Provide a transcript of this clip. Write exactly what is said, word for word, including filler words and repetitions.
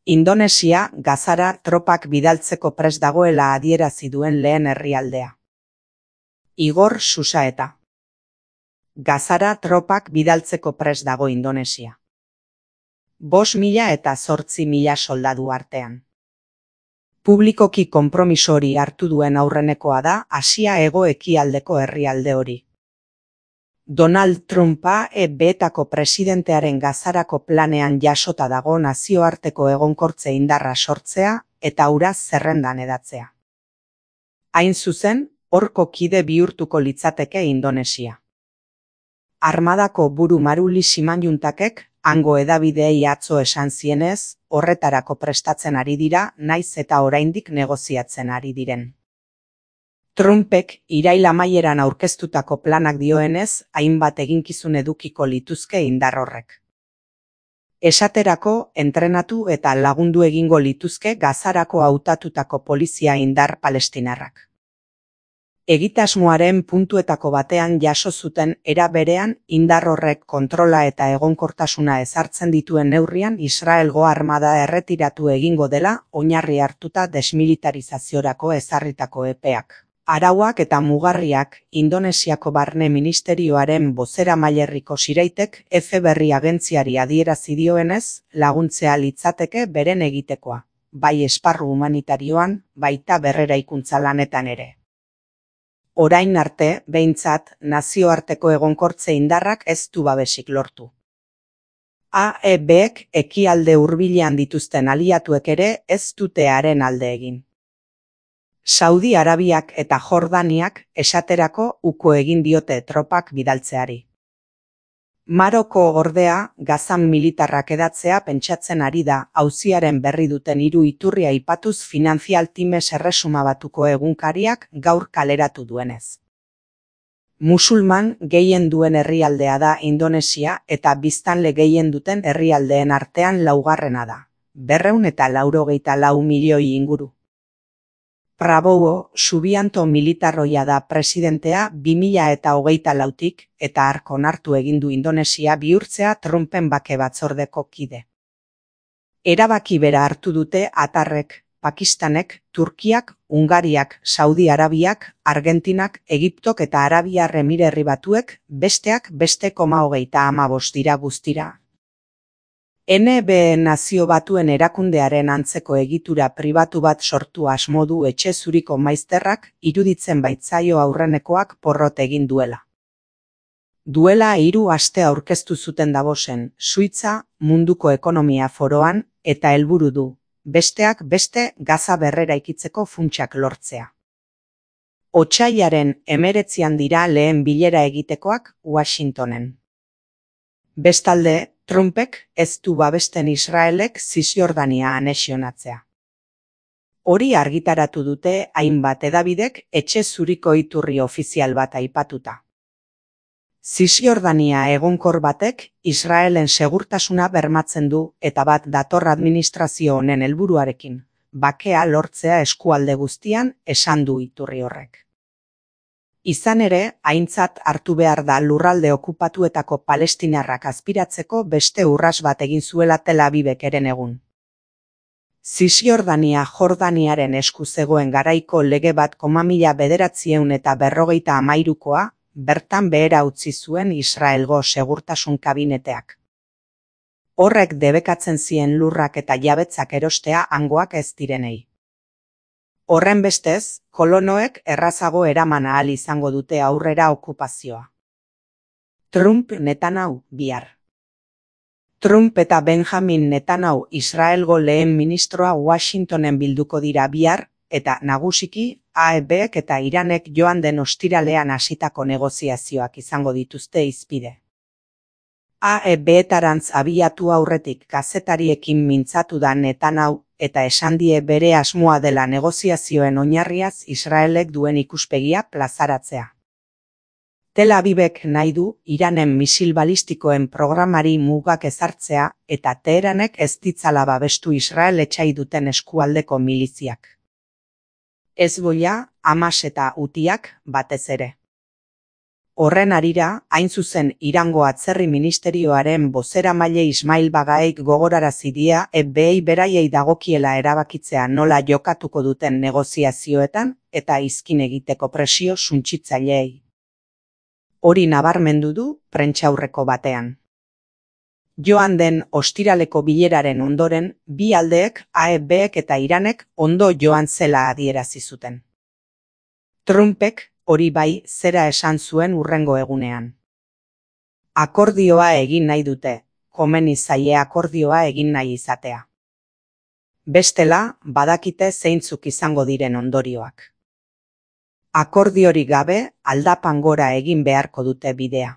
Indonesia Gazara tropak bidaltzeko prest dagoela adierazi duen lehen herrialdea. Igor Susaeta. Gazara tropak bidaltzeko prest dago Indonesia. Bost mila eta zortzi mila soldadu artean. Publikoki konpromiso hori hartu duen aurrenekoa da Asia hego-ekialdeko herrialde hori. Donald Trumpa E B-etako presidentearen Gazarako planean jasota dago nazioarteko egonkortze indarra sortzea eta hura zerrendan edatzea. Hain zuzen, horko kide bihurtuko litzateke Indonesia. Armadako buru Maruli Simanjuntakek hango hedabideei atzo esan zienez, horretarako prestatzen ari dira, naiz eta oraindik negoziatzen ari diren. Trumpek irail amaieran aurkeztutako planak dioenez, hainbat eginkizun edukiko lituzke indar horrek. Esaterako, entrenatu eta lagundu egingo lituzke Gazarako hautatutako polizia indar palestinarrak. Egitasmoaren puntuetako batean jaso zuten era berean indar horrek kontrola eta egonkortasuna ezartzen dituen neurrian Israelgo armada erretiratu egingo dela oinarri hartuta desmilitarizaziorako ezarritako epeak. Arauak eta mugarriak Indonesiako Barne Ministerioaren bozeramailerriko Siraitek F berri agentziari adierazi dioenez, laguntzea litzateke beren egitekoa, bai esparru humanitarioan, baita berreraikuntza lanetan ere. Orain arte, behintzat, nazioarteko egonkortze indarrak ez du babesik lortu. A E B-ek ekialde hurbilean dituzten aliatuek ere ez dute haren alde egin. Saudi Arabiak eta Jordaniak esaterako uko egin diote tropak bidaltzeari. Maroko ordea Gazan militarrak edatzea pentsatzen ari da auziaren berri duten hiru iturri aipatuz Financial Times erresuma batuko egunkariak gaur kaleratu duenez. Musulman gehien duen herrialdea da Indonesia eta biztanle gehien duten herrialdeen artean laugarrena da, berrehun eta laurogeita lau milioi inguru. Prabowo Subianto militarroia da presidentea bi mila eta hogeita lautik eta hark onartu egin du Indonesia bihurtzea Trumpen bake batzordeko kide. Erabaki bera hartu dute Atarrek, Pakistanek, Turkiak, Hungariak, Saudi Arabiak, Argentinak, Egiptok eta Arabiar Emirerri Batuek besteak beste koma hogeita hamabost dira guztira. N B Nazio Batuen erakundearen antzeko egitura pribatu bat sortu asmo du etxe zuriko maizterrak iruditzen baitzaio aurrenekoak porrot egin duela. Duela hiru aste aurkeztu zuten Davosen, Suitza, munduko ekonomia foroan, eta helburu du, besteak beste Gaza berreraikitzeko funtsak lortzea. Otsailaren hemeretzian dira lehen bilera egitekoak Washingtonen. Bestalde, Trumpek ez du babesten Israelek Zisjordania anexionatzea. Hori argitaratu dute hainbat hedabidek etxe zuriko iturri ofizial bat aipatuta. Zisjordania egonkor batek Israelen segurtasuna bermatzen du eta bat dator administrazio honen helburuarekin, bakea lortzea eskualde guztian esan du iturri horrek. Izan ere, aintzat hartu behar da lurralde okupatuetako palestinarrak azpiratzeko beste urras bat egin zuela Tel Avivek eren egun. Zisjordania Jordaniaren esku zegoen garaiko lege bat koma mila bederatziehun eta berrogeita hamairukoa, bertan behera utzi zuen Israelgo segurtasun kabineteak. Horrek debekatzen zien lurrak eta jabetzak erostea hangoak ez direnei. Horren bestez, kolonoek errazago eraman ahal izango dute aurrera okupazioa. Trump Netanyahu bihar. Trump eta Benjamin Netanyahu Israelgo lehen ministroa Washingtonen bilduko dira bihar, eta nagusiki A E B-ek eta Iranek joan den ostiralean hasitako negoziazioak izango dituzte hizpide. A E B-etarantz abiatu aurretik kazetariekin mintzatu da Netanyahu, eta esan die bere asmoa dela negoziazioen oinarriaz Israelek duen ikuspegia plazaratzea. Tel Avivek nahi du Iranen misil balistikoen programari mugak ezartzea eta Teheranek ez ditzala babestu Israel etsai duten eskualdeko miliziak. Hezbollah, Hamas eta Hutiak batez ere. Horren harira, hain zuzen Irango Atzerri Ministerioaren bozeramaile Ismail Bagaeik gogorarazi die F B I beraiei dagokiela erabakitzea nola jokatuko duten negoziazioetan eta izkin egiteko presio suntsitzaileei. Hori nabarmendu du prentsaurreko batean. Joan den ostiraleko bileraren ondoren, bi aldeek, A F Bek eta Iranek ondo joan zela adierazi zuten. Trumpek, hori bai, zera esan zuen hurrengo egunean. Akordioa egin nahi dute, komeni zaie akordioa egin nahi izatea. Bestela, badakite zeintzuk izango diren ondorioak. Akordiorik gabe, aldapan gora egin beharko dute bidea.